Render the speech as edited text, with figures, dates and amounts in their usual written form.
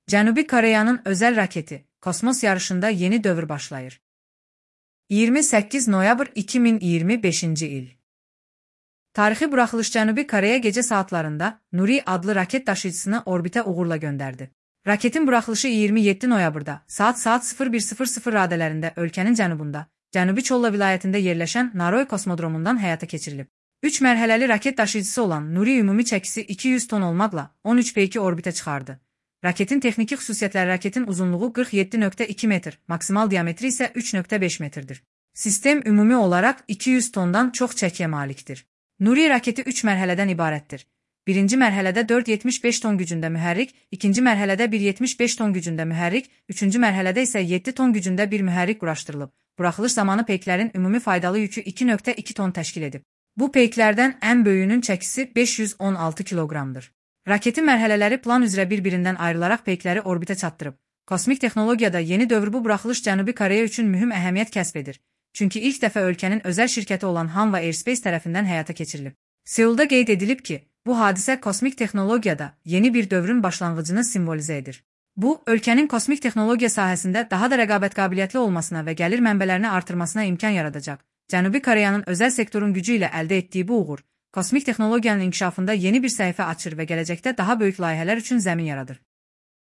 Cənubi Koreyanın özəl raketi kosmos yarışında yeni dövr başlayır. 28 noyabr 2025-ci il. Tarixi buraxılış Cənubi Koreya gecə saatlarında Nuri adlı raket daşıyıcısını orbitə uğurla göndərdi. Raketin buraxılışı 27 noyabrda saat 01:00 radələrində ölkənin cənubunda, Cənubi Çolla vilayətində yerləşən Naroy kosmodromundan həyata keçirilib. 3 mərhələli raket daşıyıcısı olan Nuri ümumi çəkisi 200 ton olmaqla 13 peyki orbitə çıxardı. Raketin texniki xüsusiyyətləri raketin uzunluğu 47,2 metr, maksimal diametri isə 3,5 metrdir. Sistem ümumi olaraq 200 tondan çox çəkiyə malikdir. Nuri raketi 3 mərhələdən ibarətdir. Birinci mərhələdə 4,75 ton gücündə mühərrik, ikinci mərhələdə 1,75 ton gücündə mühərrik, üçüncü mərhələdə isə 7 ton gücündə bir mühərrik quraşdırılıb. Buraxılış zamanı peyklərin ümumi faydalı yükü 2,2 ton təşkil edib. Bu peyklərdən ən böyüyünün çəkisi 516 kiloqramdır. Raketin mərhələləri plan üzrə bir-birindən ayrılaraq peykləri orbitə çatdırıb. Kosmik texnologiyada yeni dövr bu buraxılış Cənubi Koreya üçün mühüm əhəmiyyət kəsb edir. Çünki ilk dəfə ölkənin özəl şirkəti olan Hanwha Aerospace tərəfindən həyata keçirilib. Seulda qeyd edilib ki, bu hadisə kosmik texnologiyada yeni bir dövrün başlanğıcını simvolizə edir. Bu, ölkənin kosmik texnologiya sahəsində daha da rəqabət qabiliyyətli olmasına və gəlir mənbələrini artırmasına imkan yaradacaq. Cənubi Koreyanın özəl sektorun gücü ilə əldə etdiyi bu uğur, kosmik texnologiyanın inkişafında yeni bir səhifə açır və gələcəkdə daha böyük layihələr üçün zəmin yaradır.